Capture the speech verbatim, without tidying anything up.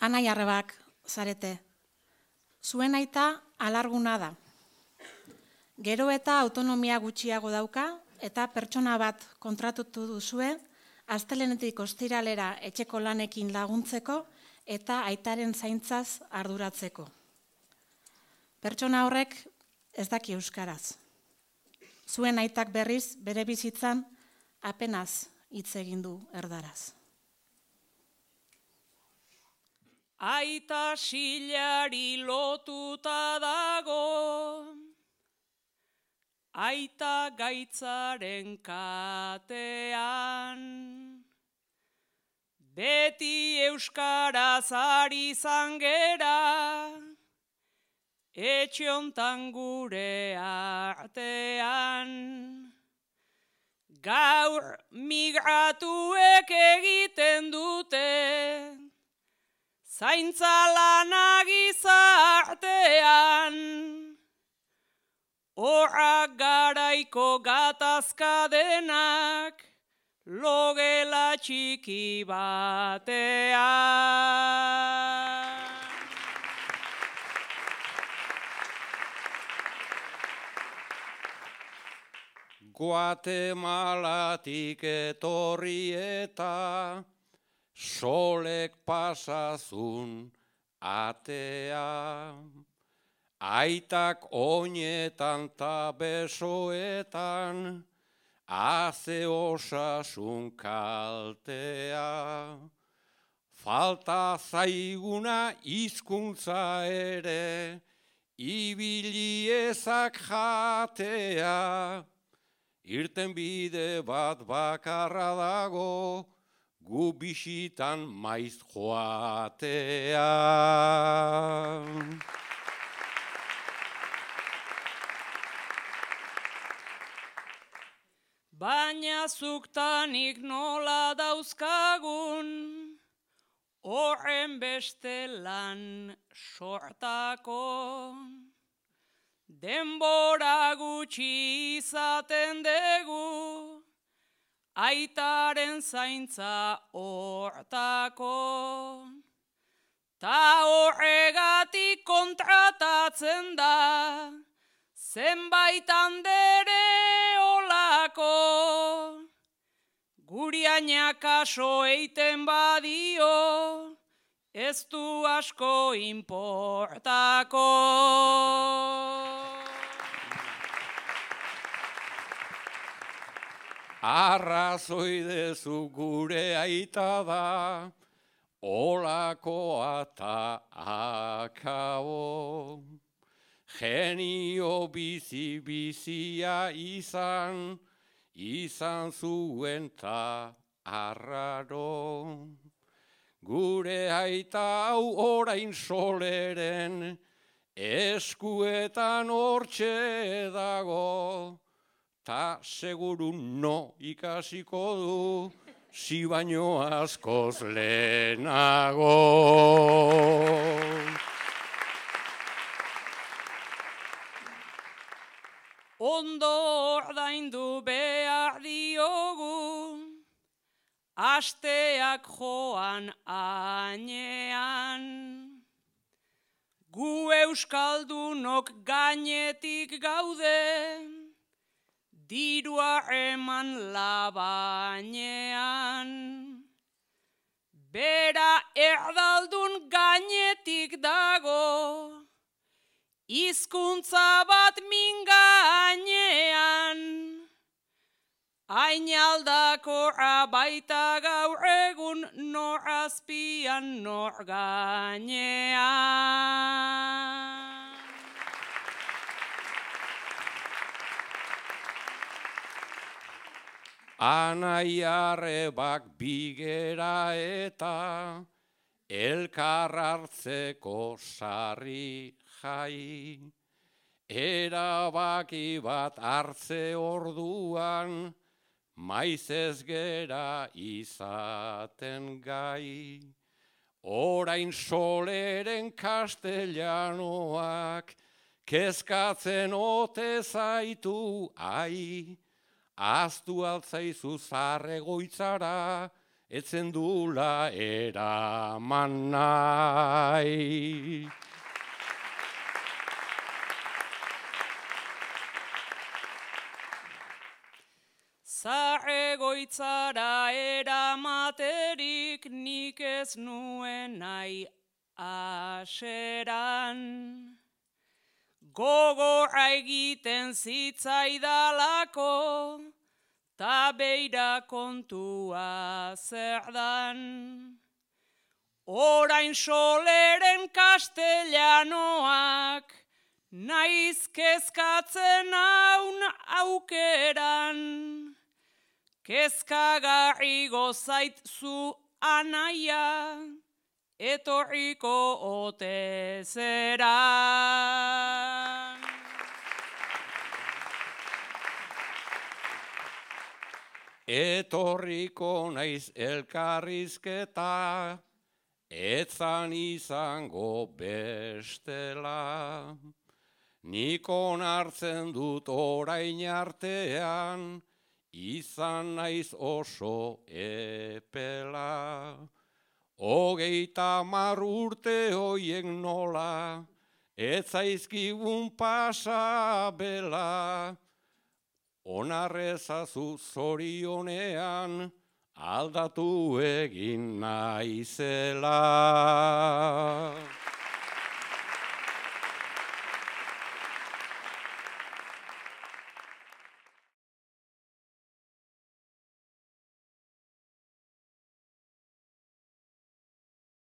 Anai arrebak zarete. Zuen aita alarguna da. Gero eta autonomia gutxiago dauka eta pertsona bat kontratutu duzue astelenetik ostiralera etxeko lanekin laguntzeko eta aitaren zaintzaz arduratzeko. Pertsona horrek ez daki euskaraz. Zuen aitak berriz bere bizitzan apenas hitz egin du erdaraz. Aita silari lotuta dago, aita gaitzaren katean, beti euskaraz ari zangera, etxe hontan gure artean. Gaur migratuek egiten dute, zaintza lana gizartean, horrak garaiko gatazka denak, logela txiki batean. Guatemalatik etorri eta solek pasazun atea, aitak oinetan ta besoetan, haze osasun kaltea. Falta zaiguna hizkuntza ere, ibili ezak jatea, irten bide bat bakarra dago, gu bisitan maiz joatea. Baina zuktanik nola dauzkagun, horren beste lan sortako. Denbora gutxi izaten dugu, aitaren zaintza hortako. Ta horregatik kontratatzen da, zenbait andere olako. Gurianak kaso eiten badio, ez du asko inportako. Arrazoi dezu gure aita da, olakoa ta akabo. Genio bizi-bizia izan, izan zuen ta arraro. Gure aita hau orain soleren, eskuetan hortxe dago, ta seguru no ikasiko du, si baino askoz lehenago. Ondo ordaindu behar diogu, asteak joan ainean. Gu euskaldunok gainetik gaude, dirua eman labainean. Bera erdaldun gainetik dago, hizkuntza bat min gainean. Hain aldakorra baita gaur egun, nor azpian nor gainean. Anai arrebak bigera eta elkar hartzeko sarri jai. Erabaki bat hartze orduan, maiz ez gera izaten gai. Orain soleren castellanoak, kezkatzen ote zaitu ai. Aztu altzaizu zarregoitzara, etzen dula eraman nahi. Zaregoitzara eramaterik nik ez nuen nahi aseran. Gogorra egiten zitzaidalako, ta beira kontua zer dan. Orain Soleren kastellanoak, naiz kezkatzen haun aukeran. Kezkagarri gozait zu anaia, etorriko ote zeran. Etorriko naiz elkarrizketa, etzan izango bestela. Nik onartzen dut orain artean, izan naiz oso epela. Hogeita hamar urte hoiek nola, ez zaizkigun pasa bela. Onarrezazu zorionean, aldatu egin naizela.